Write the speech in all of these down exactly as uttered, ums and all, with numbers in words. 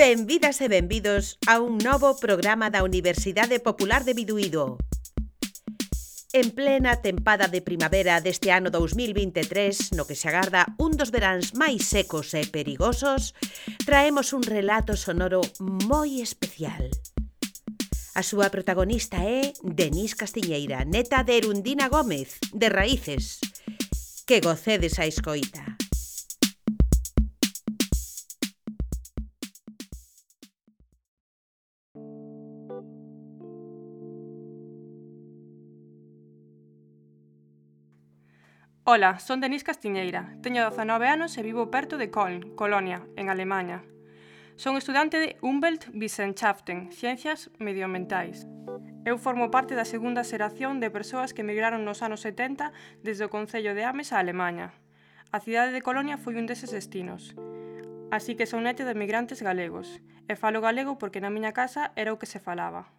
Benvidas e benvidos a un novo programa da Universidade Popular de Biduído. En plena tempada de primavera deste ano dous mil vinte e tres, no que se agarda un dos veráns máis secos e perigosos, traemos un relato sonoro moi especial. A súa protagonista é Denís Castiñeira, neta de Erundina Gómez, de Raíces. Que gocedes a escoita. Ola, son Denís Castiñeira, teño dezanove anos e vivo perto de Köln, Colonia, en Alemaña. Son estudante de Umweltwissenschaften, Ciencias Medioambientais. Eu formo parte da segunda xeración de persoas que emigraron nos anos setenta desde o concello de Ames a Alemaña. A cidade de Colonia foi un deses destinos. Así que son neta de emigrantes galegos, e falo galego porque na miña casa era o que se falaba.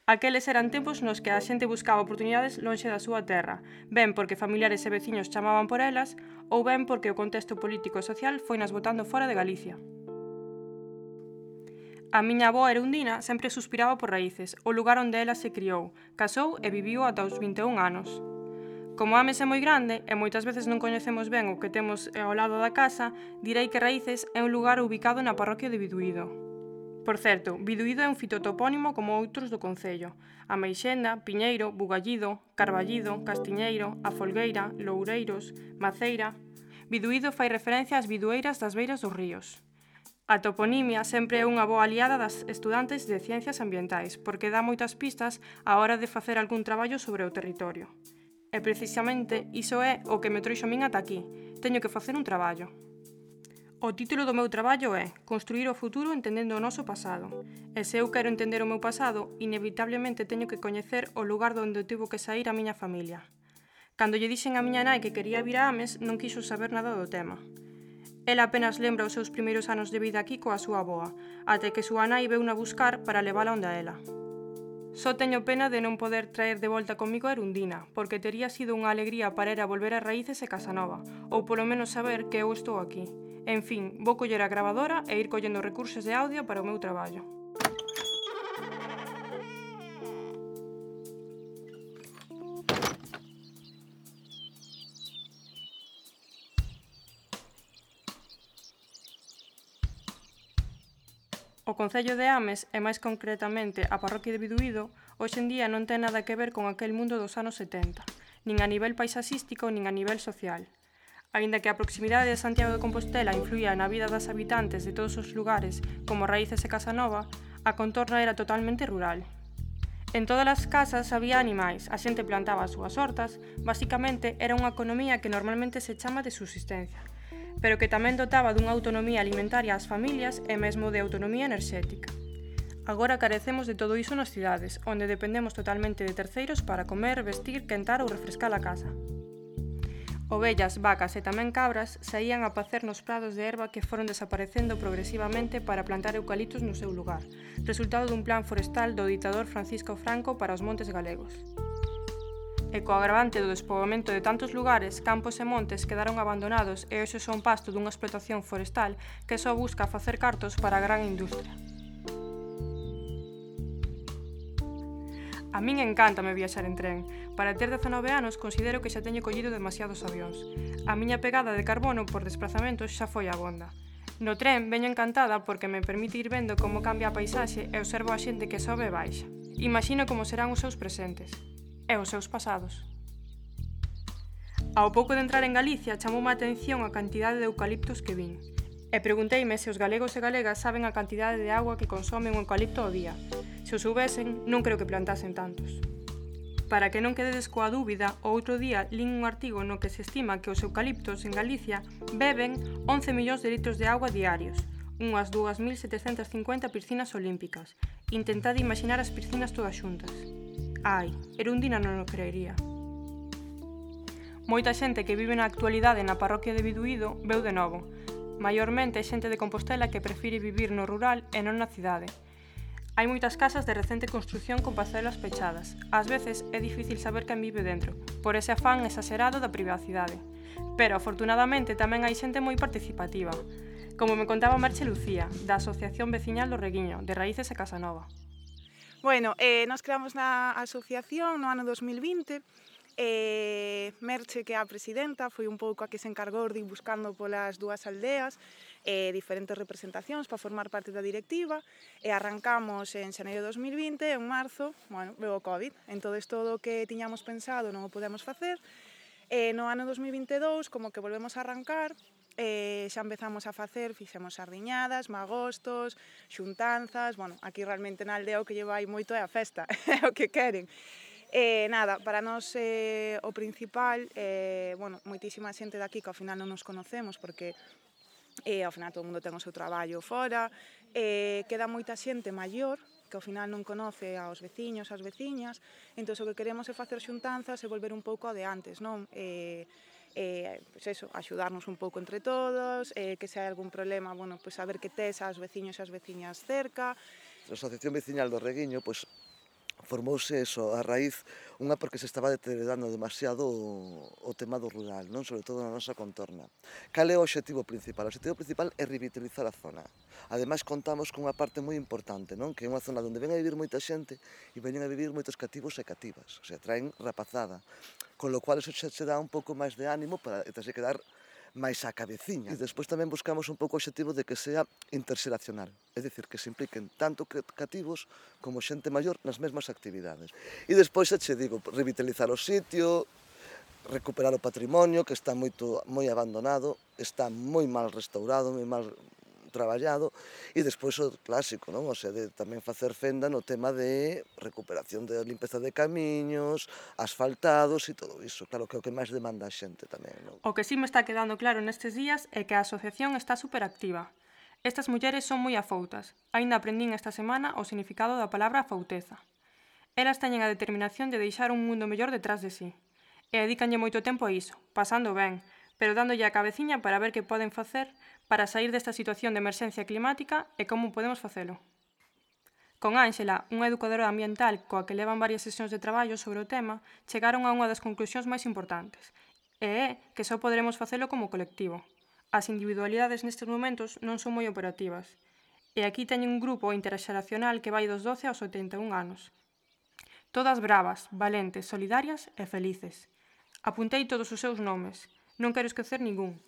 Aqueles eran tempos nos que a xente buscaba oportunidades lonxe da súa terra, ben porque familiares e veciños chamaban por elas, ou ben porque o contexto político e social foi nas botando fora de Galicia. A miña avó Erundina sempre suspiraba por Raíces, o lugar onde ela se criou, casou e viviu ata os vinte e un anos. Como Ames é moi grande e moitas veces non coñecemos ben o que temos ao lado da casa, direi que Raíces é un lugar ubicado na parroquia de Biduído. Por certo, Biduído é un fitotopónimo como outros do concello: Ameixenda, Piñeiro, Bugallido, Carballido, Castiñeiro, A Folgueira, Loureiros, Maceira. Biduído fai referencia ás bidueiras das beiras dos ríos. A toponimia sempre é unha boa aliada das estudantes de Ciencias Ambientais, porque dá moitas pistas á hora de facer algún traballo sobre o territorio. E precisamente iso é o que me trouxo a min ata aquí. Teño que facer un traballo. O título do meu traballo é Construir o futuro entendendo o noso pasado. E se eu quero entender o meu pasado, inevitablemente teño que coñecer o lugar onde tivo que saír a miña familia. Cando lle dixen a miña nai que quería vir a Ames, non quixo saber nada do tema. Ela apenas lembra os seus primeiros anos de vida aquí coa súa avoa, até que súa nai veuna buscar para levala onde a ela. Só teño pena de non poder traer de volta comigo a Erundina, porque tería sido unha alegría para ela volver a Raíces e Casanova, ou polo menos saber que eu estou aquí. En fin, vou coller a gravadora e ir collendo recursos de audio para o meu traballo. O concello de Ames, e máis concretamente a parroquia de Biduído, hoxe en día non ten nada que ver con aquel mundo dos anos setenta, nin a nivel paisaxístico nin a nivel social. Aínda que a proximidade de Santiago de Compostela influía na vida das habitantes de todos os lugares, como Raíces e Casanova, a contorna era totalmente rural. En todas as casas había animais, a xente plantaba as súas hortas, basicamente era unha economía que normalmente se chama de subsistencia, pero que tamén dotaba dunha autonomía alimentaria ás familias e mesmo de autonomía enerxética. Agora carecemos de todo iso nas cidades, onde dependemos totalmente de terceiros para comer, vestir, quentar ou refrescar a casa. Ovellas, vacas e tamén cabras saían a pacer nos prados de herba que foron desaparecendo progresivamente para plantar eucaliptos no seu lugar, resultado dun plan forestal do ditador Francisco Franco para os montes galegos. E co agravante do despoboamento de tantos lugares, campos e montes quedaron abandonados e hoxe son pasto dunha explotación forestal que só busca facer cartos para a gran industria. A min encántame viaxar en tren. Para ter dezanove anos considero que xa teño collido demasiados avións. A miña pegada de carbono por desplazamentos xa foi abonda. No tren veño encantada porque me permite ir vendo como cambia a paisaxe e observo a xente que sobe e baixa. Imagino como serán os seus presentes e os seus pasados. Ao pouco de entrar en Galicia chamoume a atención a cantidade de eucaliptos que vin. E pregunteime se os galegos e galegas saben a cantidade de auga que consome un eucalipto ao día. Se o soubesen, non creo que plantasen tantos. Para que non quededes coa dúbida, o outro día lin un artigo no que se estima que os eucaliptos en Galicia beben once millóns de litros de auga diarios, unhas dúas mil setecentas cincuenta piscinas olímpicas. Intentade imaginar as piscinas todas xuntas. Ai, Erundina non o creería. Moita xente que vive na actualidade na parroquia de Biduído veu de novo. Maiormente xente de Compostela que prefire vivir no rural e non na cidade. Hai moitas casas de recente construción con parcelas pechadas. Ás veces é difícil saber quen vive dentro, por ese afán exagerado da privacidade. Pero, afortunadamente, tamén hai xente moi participativa. como me contaba Merche Lucía, da Asociación Veciñal do Reguiño, de Raíces e Casanova. Bueno, eh, nos creamos na asociación no ano dos mil vinte. Eh, Merche, que é a presidenta, foi un pouco a que se encargou de ir buscando polas dúas aldeas eh, diferentes representacións para formar parte da directiva, e arrancamos en xaneiro de dos mil vinte, en marzo, bueno, veo o COVID, entón todo o que tiñamos pensado non o podemos facer, e no ano dos mil vinte e dous, como que volvemos a arrancar, Eh, xa empezamos a facer, fixemos sardiñadas, magostos, xuntanzas, bueno, aquí realmente na aldea o que lleva aí moito é a festa, é o que queren. Eh, nada, para nós eh, o principal, eh, bueno, moitísima xente daqui que ao final non nos conocemos porque eh, ao final todo o mundo ten o seu traballo fora, eh, queda moita xente maior que ao final non conoce aos veciños, ás veciñas, entón o que queremos é facer xuntanzas e volver un pouco ao de antes, non? Eh, eh, pues eso, axudarnos un pouco entre todos, eh, que se hai algún problema, bueno, pues saber que tes aos veciños e as veciñas cerca. A Asociación Veciñal do Reguiño, pois, formouse eso, a raíz, unha porque se estaba deteriorando demasiado o, o tema do rural, non? Sobre todo na nosa contorna. Cal é o obxectivo principal? O obxectivo principal é revitalizar a zona. Ademais, contamos con unha parte moi importante, non? Que é unha zona onde ven a vivir moita xente e veñen a vivir moitos cativos e cativas, o sea, traen rapazada, con lo cual eso xa se dá un pouco máis de ánimo para terse que dar máis á cabeciña. E despois tamén buscamos un pouco o obxectivo de que sea interxeracional, é dicir, que se impliquen tanto cativos como xente maior nas mesmas actividades. E despois, xa che digo, revitalizar o sitio, recuperar o patrimonio, que está moito moi abandonado, está moi mal restaurado, moi mal traballado, e despois o clásico, non? O sea, de tamén facer fenda no tema de recuperación de limpeza de camiños, asfaltados e todo iso. Claro que é o que máis demanda a xente tamén, non? O que sí me está quedando claro nestes días é que a asociación está superactiva. Estas mulleres son moi afoutas. Aínda aprendín esta semana o significado da palabra afouteza. Elas teñen a determinación de deixar un mundo mellor detrás de sí. E dedícanlle moito tempo a iso, pasando ben, pero dándolle a cabeciña para ver que poden facer para sair desta situación de emerxencia climática e como podemos facelo. Con Ángela, unha educadora ambiental coa que levan varias sesións de traballo sobre o tema, chegaron a unha das conclusións máis importantes, e é que só poderemos facelo como colectivo. As individualidades nestes momentos non son moi operativas, e aquí teñen un grupo interxeracional que vai dos doce aos oitenta e un anos. Todas bravas, valentes, solidarias e felices. Apuntei todos os seus nomes, non quero esquecer ningún.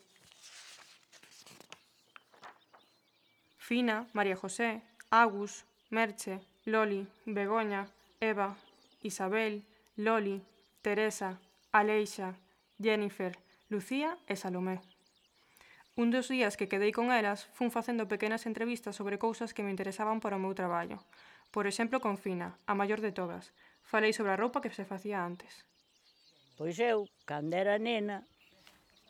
Fina, María José, Agus, Merche, Loli, Begoña, Eva, Isabel, Loli, Teresa, Aleixa, Jennifer, Lucía e Salomé. Un dos días que quedei con elas, fun facendo pequenas entrevistas sobre cousas que me interesaban para o meu traballo. Por exemplo, con Fina, a maior de todas. Falei sobre a roupa que se facía antes. Pois eu, cando era nena,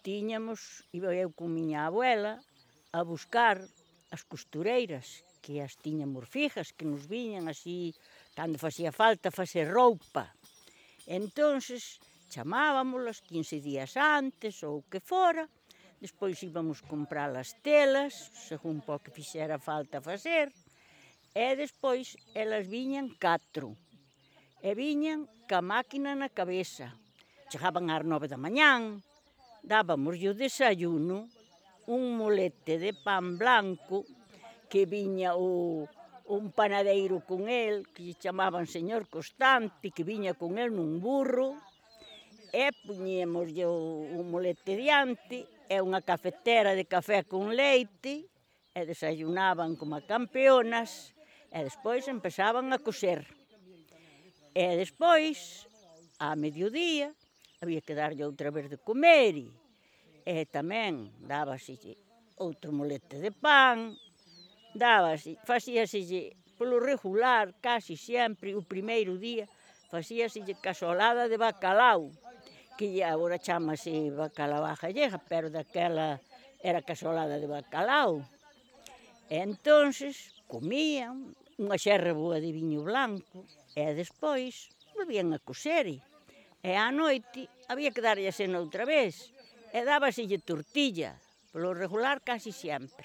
tiñamos, iba eu con miña abuela, a buscar as costureiras, que as tiñamos fijas, que nos viñan así, cando facía falta facer roupa. Entonces, chamábamolas quince días antes, ou que fora, despois íbamos comprar as telas, según po que fixera falta facer, e despois elas viñan catro, e viñan ca máquina na cabeza. Chegaban ás nove da mañán, dábamos o desayuno, un molete de pan blanco, que viña o, un panadeiro con el, que lle chamaban señor Constante, que viña con el nun burro, e puñíamos o, o molete diante, e unha cafetera de café con leite, e desayunaban como campeonas, e despois empezaban a coser. E despois, a mediodía, había que darlle outra vez de comer, e tamén dábaselle outro molete de pan, dábase, facíaselle polo regular, casi sempre, o primeiro día, facíaselle casolada de bacalao, que agora chamase bacalao á gallega, pero daquela era casolada de bacalao. E entonces comían unha xerra boa de viño blanco, e despois volvían a coser, e á noite había que darlle a cena outra vez, e dábaselle tortilla, polo regular casi sempre.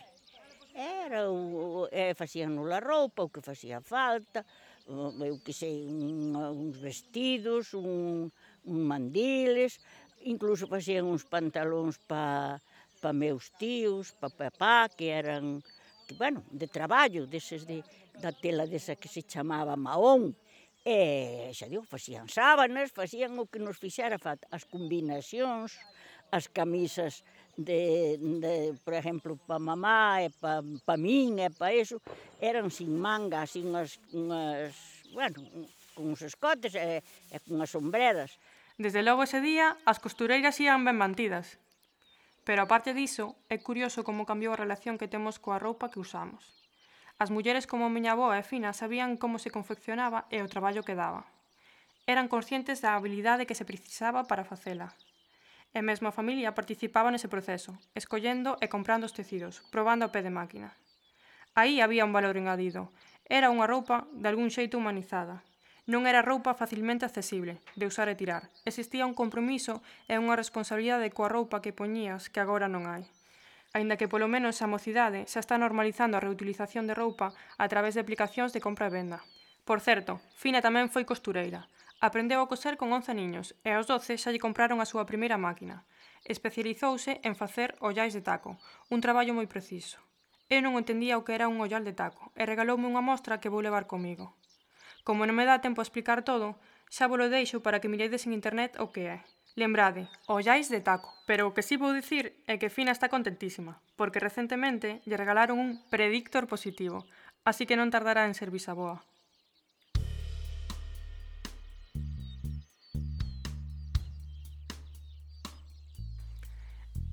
Era o, e facíanos a roupa, o que facía falta, eu que sei, un, uns vestidos, un, un mandiles, incluso facían uns pantalóns pa, pa meus tíos, pa papá, que eran, que, bueno, de traballo, deses de, da tela desa que se chamaba mahón. E, xa digo, facían sábanas, facían o que nos fixera falta, as combinacións, as camisas de, de por exemplo, pa mamá e pa, pa min e pa eso, eran sin manga, así unhas, unhas bueno, con uns escotes e, e con as sombreras. Desde logo ese día, as costureiras ían ben mantidas. Pero aparte diso, é curioso como cambiou a relación que temos coa roupa que usamos. As mulleres como miña avoa e Fina sabían como se confeccionaba e o traballo que daba. Eran conscientes da habilidade que se precisaba para facela. E mesmo a familia participaba nese proceso, escollendo e comprando os tecidos, probando a pé de máquina. Aí había un valor engadido. Era unha roupa de algún xeito humanizada. Non era roupa facilmente accesible, de usar e tirar. Existía un compromiso e unha responsabilidade coa roupa que poñías que agora non hai. Aínda que polo menos a mocidade xa está normalizando a reutilización de roupa a través de aplicacións de compra e venda. Por certo, Fina tamén foi costureira. Aprendeu a coser con once niños e aos doce xa lle compraron a súa primeira máquina. Especializouse en facer ollais de taco, un traballo moi preciso. Eu non entendía o que era un ollal de taco e regaloume unha mostra que vou levar comigo. Como non me dá tempo a explicar todo, xa vos lo deixo para que miredes en internet o que é. Lembrade, ollais de taco, pero o que si vou dicir é que Fina está contentísima, porque recentemente lle regalaron un predictor positivo, así que non tardará en ser bisaboa.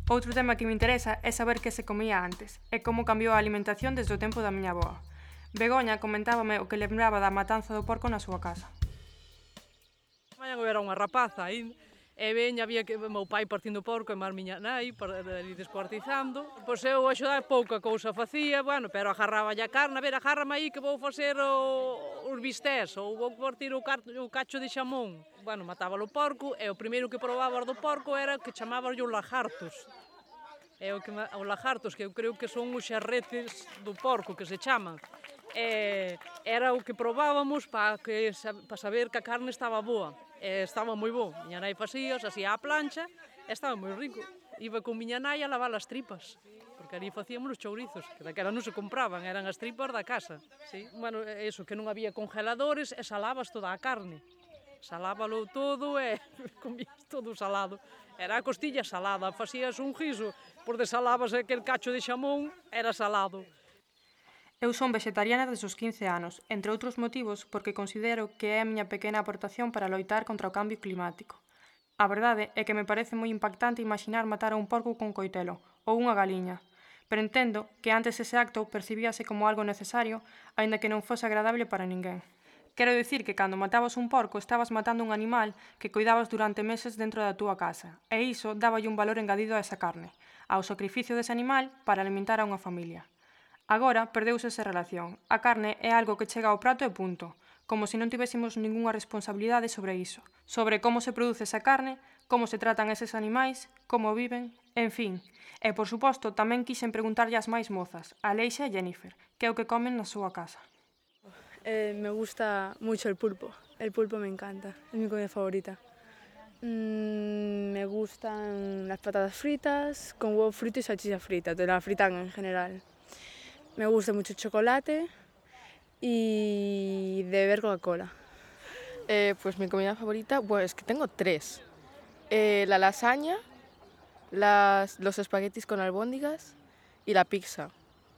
Outro tema que me interesa é saber que se comía antes e como cambiou a alimentación desde o tempo da miña avoa. Begoña comentábame o que lembraba da matanza do porco na súa casa. Mañan eu era unha rapaza aí, e veña, había que meu pai partindo porco e máis miña nai, ali descuartizando. Pois eu axudar pouca cousa facía, bueno, pero agarraba a carne, a ver, agárrame aí que vou facer o, os bistés, ou vou partir o, car, o cacho de xamón. Bueno, mataba o porco, e o primeiro que probaba do porco era que chamaban os lagartos. É o que os lagartos, que eu creo que son os xarretes do porco, que se chaman. E era o que probábamos para que para saber que a carne estaba boa. E estaba moi bo. Miña nai facía, se hacía a plancha, e estaba moi rico. Iba con miña nai a lavar as tripas, porque ali facíamos os chourizos, que daquela non se compraban, eran as tripas da casa. Sí? Bueno, eso, que non había congeladores e salabas toda a carne. Salábalo todo e comías todo salado. Era a costilla salada, facías un guiso, por desalabas aquel cacho de xamón, era salado. Eu son vegetariana desde os quince anos, entre outros motivos porque considero que é a miña pequena aportación para loitar contra o cambio climático. A verdade é que me parece moi impactante imaginar matar a un porco con coitelo, ou unha galiña, pero entendo que antes ese acto percibíase como algo necesario, aínda que non fose agradable para ninguén. Quero dicir que cando matabas un porco estabas matando un animal que cuidabas durante meses dentro da túa casa, e iso dáballe un valor engadido a esa carne, ao sacrificio dese animal para alimentar a unha familia. Agora perdeuse esa relación. A carne é algo que chega ao prato e punto, como se non tivésemos ningunha responsabilidade sobre iso, sobre como se produce esa carne, como se tratan eses animais, como viven, en fin. E, por suposto, tamén quixen preguntarlle ás máis mozas, a Leixa e Jennifer, que é o que comen na súa casa. Eh, me gusta mucho el pulpo. El pulpo me encanta, es mi comida favorita. Mm, me gustan las patatas fritas, con huevo frito y salchicha frita, de la fritan en general. Me gusta mucho el chocolate y de beber Coca-Cola. Eh, pues mi comida favorita, pues que tengo tres. Eh, la lasaña, las, los espaguetis con albóndigas y la pizza.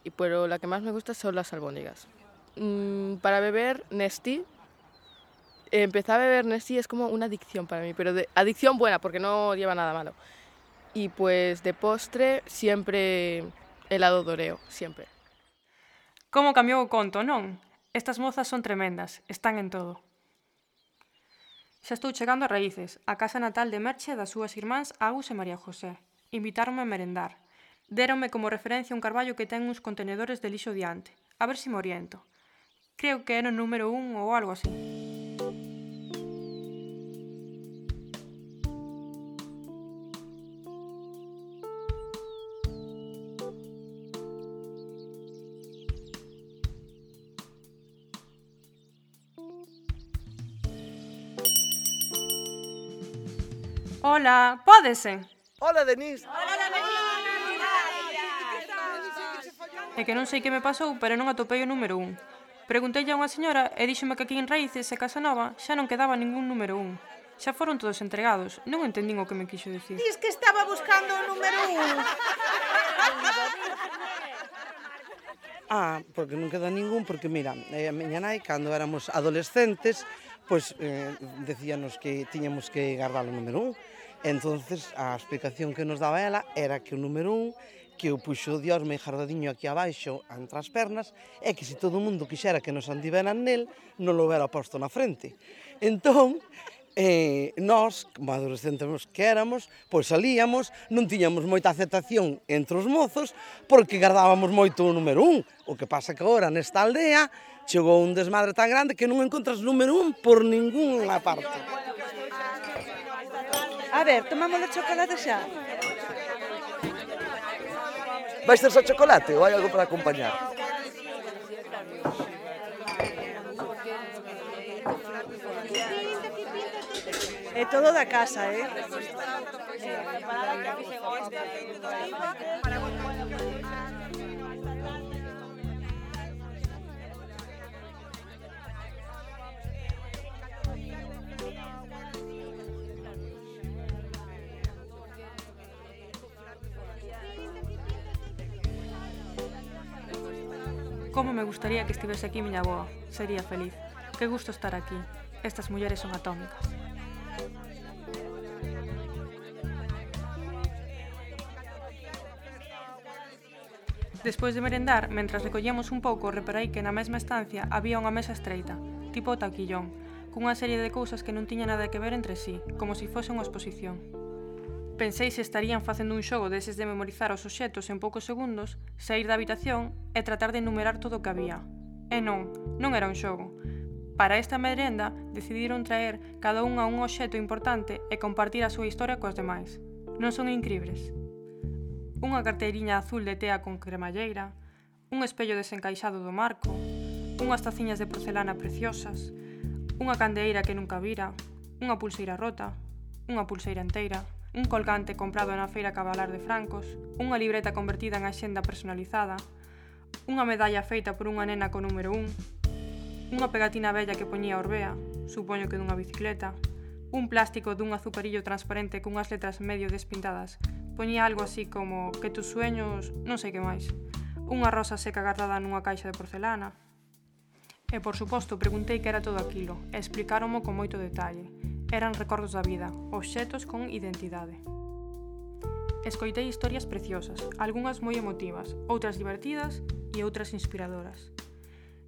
Y pero la que más me gusta son las albóndigas. Mm, para beber Nestí, eh, empezar a beber Nestí es como una adicción para mí, pero de, adicción buena porque no lleva nada malo. Y pues de postre siempre helado de Oreo, siempre. Como cambiou o conto, non? Estas mozas son tremendas, están en todo. Xa estou chegando a Raíces, a casa natal de Merche das súas irmáns Agus e María José. Invitáronme a merendar. Déronme como referencia un carballo que ten uns contenedores de lixo diante. A ver se me oriento. Creo que era o número un ou algo así. Hola, pódese? Hola, Denís. Hola, Denís. É que non sei que me pasou, pero non atopei o número un. Pregunteille a unha señora e díxome que aquí en Raíces e Casanova xa non quedaba ningún número un. Xa foron todos entregados. Non entendín o que me quixo dicir. Dis que estaba buscando o número un. Ah, porque non queda ningún, porque mira, a miña nai, cando éramos adolescentes, pois eh, decíanos que tiñamos que guardar o número un. Entonces, a explicación que nos daba ela era que o número un, que o puxo Dios moi jardadiño aquí abaixo, entre as pernas, é que se todo o mundo quixera que nos andiveran nel, non lo hubiera posto na frente. Entón, eh, nós, como adolescentes que éramos, pois salíamos, non tiñamos moita aceptación entre os mozos, porque guardábamos moito o número un. O que pasa que agora, nesta aldea, chegou un desmadre tan grande que non encontras número un por ninguna parte. A ver, tomamos o chocolate xa. Vais ter só chocolate ou hai algo para acompañar? É todo da casa, eh? Como me gustaría que estivese aquí miña avoa. Sería feliz. Que gusto estar aquí. Estas mulleres son atómicas. Despois de merendar, mentras recollíamos un pouco, reparei que na mesma estancia había unha mesa estreita, tipo taquillón, cunha serie de cousas que non tiña nada que ver entre sí, como se fose unha exposición. Pensei se estarían facendo un xogo deses de memorizar os obxetos en poucos segundos, saír da habitación e tratar de enumerar todo o que había. E non, non era un xogo. Para esta merenda, decidiron traer cada unha un obxeto importante e compartir a súa historia coas demais. Non son incribles? Unha carteiriña azul de tea con cremalleira, un espello desencaixado do marco, unhas taciñas de porcelana preciosas, unha candeeira que nunca vira, unha pulseira rota, unha pulseira enteira, un colgante comprado na feira Cabalar de Francos, unha libreta convertida en axenda personalizada, unha medalla feita por unha nena con número un, unha pegatina bella que poñía Orbea, supoño que dunha bicicleta, un plástico dun azucarillo transparente cunhas letras medio despintadas, poñía algo así como que tus sueños, non sei que máis, unha rosa seca guardada nunha caixa de porcelana. E, por suposto, preguntei que era todo aquilo, e explicáronmo con moito detalle. Eran recordos da vida, obxetos con identidade. Escoitei historias preciosas, algunhas moi emotivas, outras divertidas e outras inspiradoras.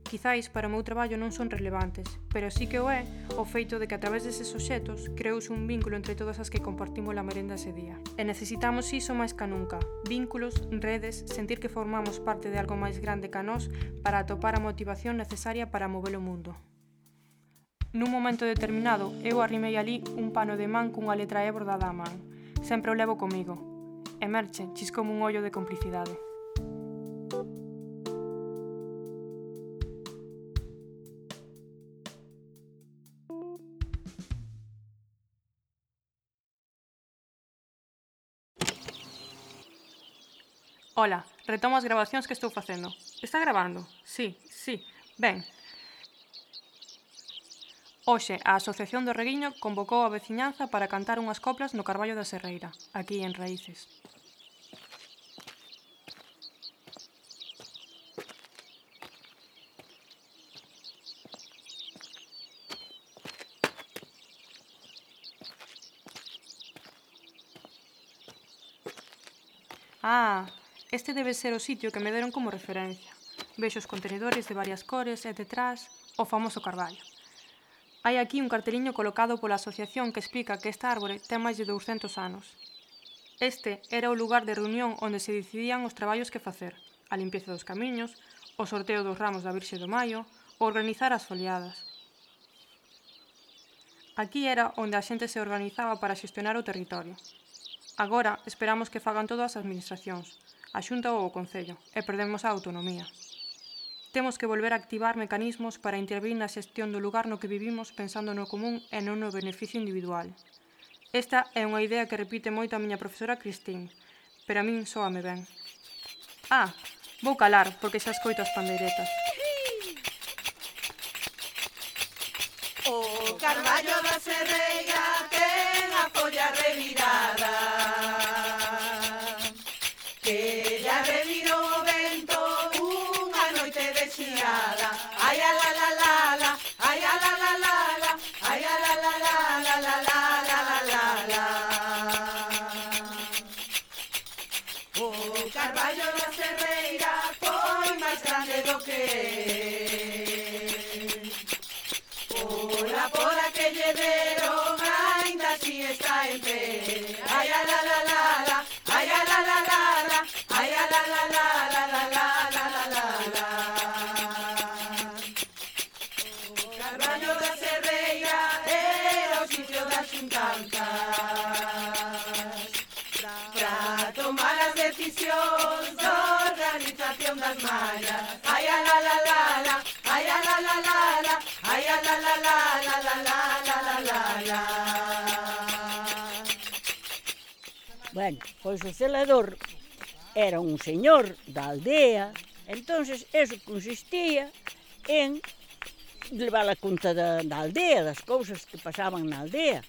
Quizáis para o meu traballo non son relevantes, pero sí que o é o feito de que a través deses obxetos creouse un vínculo entre todas as que compartimos a merenda ese día. E necesitamos iso máis ca nunca, vínculos, redes, sentir que formamos parte de algo máis grande ca nós para atopar a motivación necesaria para mover o mundo. Nun momento determinado, eu arrimei ali un pano de man cunha letra E bordada á man. Sempre o levo comigo. E Merche chiscoume un ollo de complicidade. Ola, retomo as gravacións que estou facendo. Está gravando? Sí, sí. Ben. Hoxe, a Asociación do Reguiño convocou a veciñanza para cantar unhas coplas no Carballo da Serreira, aquí en Raíces. Ah, este debe ser o sitio que me deron como referencia. Vexo os contenedores de varias cores e detrás o famoso carballo. Hai aquí un carteliño colocado pola asociación que explica que esta árbore ten máis de douscentos anos. Este era o lugar de reunión onde se decidían os traballos que facer, a limpieza dos camiños, o sorteo dos ramos da Virxe do Maio, ou organizar as foliadas. Aquí era onde a xente se organizaba para xestionar o territorio. Agora esperamos que fagan todas as administracións, a Xunta ou o Concello, e perdemos a autonomía. Temos que volver a activar mecanismos para intervir na xestión do lugar no que vivimos pensando no común e non no beneficio individual. Esta é unha idea que repite moito a miña profesora Cristín, pero a min soame ben. Ah, Vou calar, porque xa escoito as pandeiretas. O carballo da serreira ten a folla revirada, que lla revirou o vento unha noite de xiada. Ai, a la la la la, ai, a la la la la, ai, a la la la la la la la la la la. O carballo da serreira foi máis grande do que pola pola que lle deron ainda así está en pé. Ai, a la la la la, ai, a la la la la, ai, a la la la la la la la la la la. O carballo da serreira era o sitio das xuntanzas pra tomar as decisións da organización das mallas. Ai, a la la la la, ai, a la la la la, ai, a la la la la la la la la la la. Bueno, pois o celador era un señor da aldea, entonces eso consistía en levar a conta da, da aldea, das cousas que pasaban na aldea.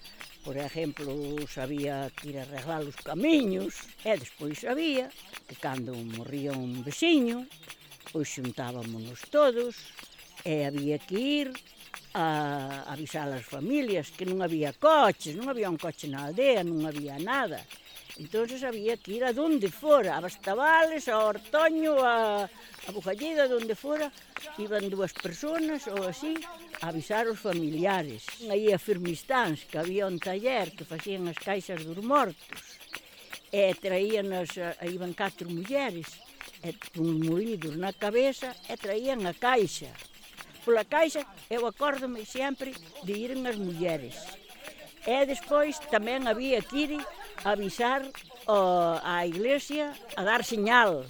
Por exemplo, sabía que ir a arreglar os camiños, e despois sabía que cando morría un veciño, pois xuntábamonos todos, e había que ir a avisar as familias que non había coches, non había un coche na aldea, non había nada. Entón había que ir a donde fora, a Bastavales, a Ortoño, a, a Bujalleda, donde fora, iban dúas personas ou así a avisar os familiares. Aí a Firmistáns, que había un taller que facían as caixas dos mortos, e traían as, iban catro mulleres, e con molidos na cabeza, e traían a caixa. Pola caixa, eu acórdome sempre de iren as mulleres. E despois tamén había que ir a avisar o, á iglesia, a dar señal.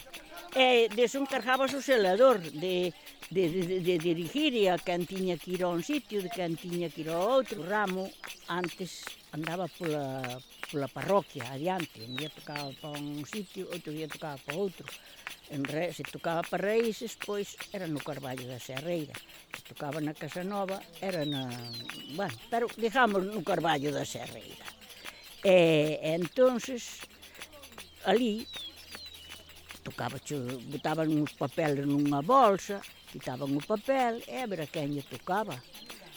E deso encargábase o celador de, de, de, de dirigir a quen tiña que ir a un sitio, de quen tiña que ir ao outro. O ramo antes andaba pola, pola parroquia, adiante. Un día tocaba para un sitio, outro día tocaba para outro. En Re, se tocaba para Raíces, pois era no Carballo da Serreira. Se tocaba na Casa Nova, era na... Bueno, pero dejamos no Carballo da Serreira. E, e entonces, ali, tocaba, botaban uns papeles nunha bolsa, quitaban o papel, e a ver a quen lle tocaba.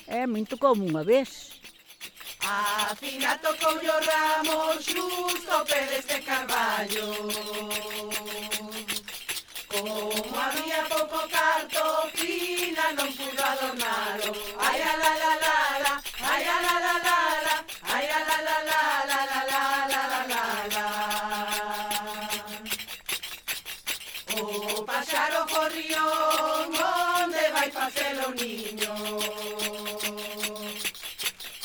E a min tocoume unha vez. A Fina tocou o ramo xusto ao pé deste carballo. Como había pouco carto, Fina non pudo adornalo. Ai, a la la la la, ai, a la la la la, ai, a la la la la la la la la la la. O paxaro gorrión, onde vai facelo o niño?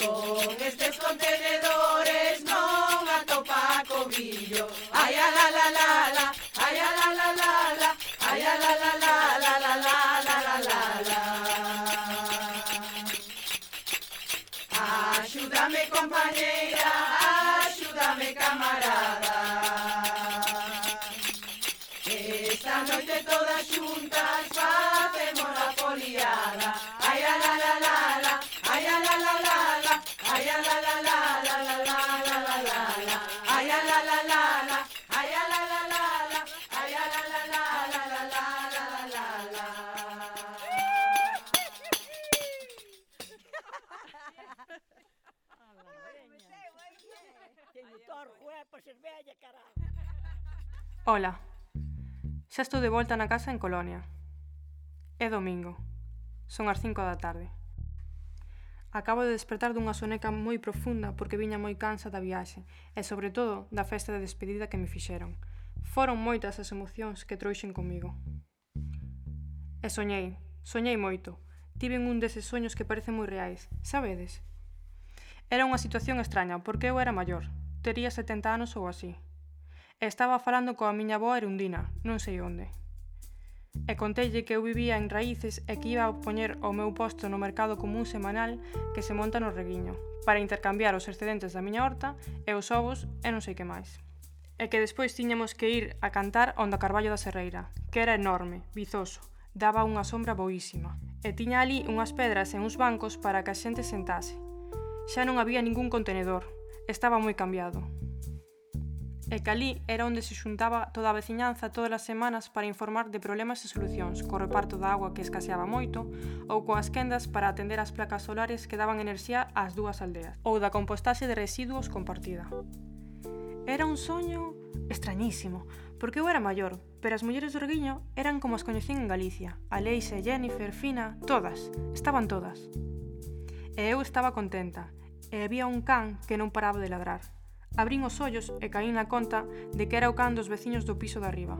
Con estes contenedores non atopa cobrillo. Ai, a la la la la, ai, a la la la la, ai, a la la la la la la la la la la. Axúdame, compañeira, axúdame, camarada. Esta noite todas xuntas facemos a foliada. Ai, a la la la la, ai, a la la la la, ai, a la la la la la la la la la la, ai, a la la la la, ai, a la la la la, ai, a la la la la la la la la la. Ola, xa estou de volta na casa en Colonia. É domingo, son as cinco da tarde. Acabo de despertar dunha soneca moi profunda porque viña moi cansa da viaxe e, sobre todo, da festa de despedida que me fixeron. Foron moitas as emocións que trouxen comigo. E soñei, soñei moito. Tiven un deses soños que parecen moi reais, sabedes? Era unha situación extraña porque eu era maior, tería setenta anos ou así. E estaba falando coa miña avó Erundina, non sei onde. E conteille que eu vivía en Raíces e que iba a poñer o meu posto no mercado común semanal que se monta no Reguiño, para intercambiar os excedentes da miña horta e os ovos e non sei que máis. e que despois tiñamos que ir a cantar onda Carballo da Serreira, que era enorme, vizoso, daba unha sombra boísima, e tiña ali unhas pedras e uns bancos para que a xente sentase. Xa non había ningún contenedor, estaba moi cambiado. E que ali era onde se xuntaba toda a veciñanza todas as semanas para informar de problemas e solucións, co reparto da agua que escaseaba moito, ou coas quendas para atender as placas solares que daban enerxía ás dúas aldeas, ou da compostaxe de residuos compartida. Era un soño extrañísimo, porque eu era maior, pero as mulleres do Reguiño eran como as coñecín en Galicia, a Leixa, Jennifer, Fina, todas, estaban todas. E eu estaba contenta, e había un can que non paraba de ladrar. Abrín os ollos e caín na conta de que era o can dos veciños do piso de arriba.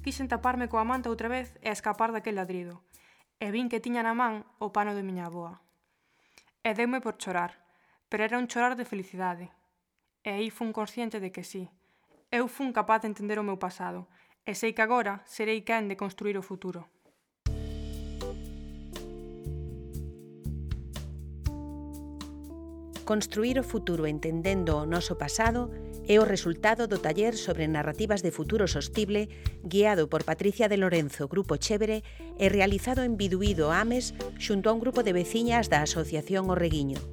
Quixen taparme coa manta outra vez e escapar daquel ladrido, e vin que tiña na man o pano de miña avoa. E deume por chorar, pero era un chorar de felicidade. E aí fun consciente de que sí, eu fun capaz de entender o meu pasado, e sei que agora serei quen de construir o futuro. Construir o futuro entendendo o noso pasado é o resultado do taller sobre narrativas de futuro sostible guiado por Patricia de Lorenzo, Grupo Chévere, e realizado en Biduído, Ames, xunto a un grupo de veciñas da Asociación O Reguiño.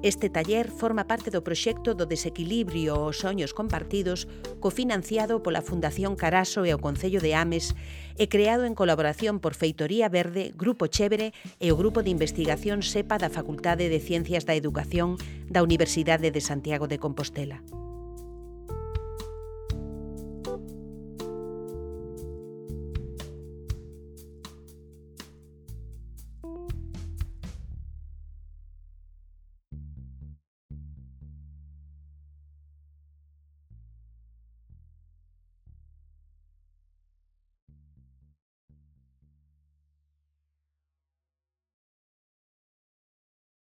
Este taller forma parte do proxecto do desequilibrio aos soños compartidos cofinanciado pola Fundación Caraso e o Concello de Ames e creado en colaboración por Feitoría Verde, Grupo Chévere e o Grupo de Investigación SEPA da Facultade de Ciencias da Educación da Universidade de Santiago de Compostela.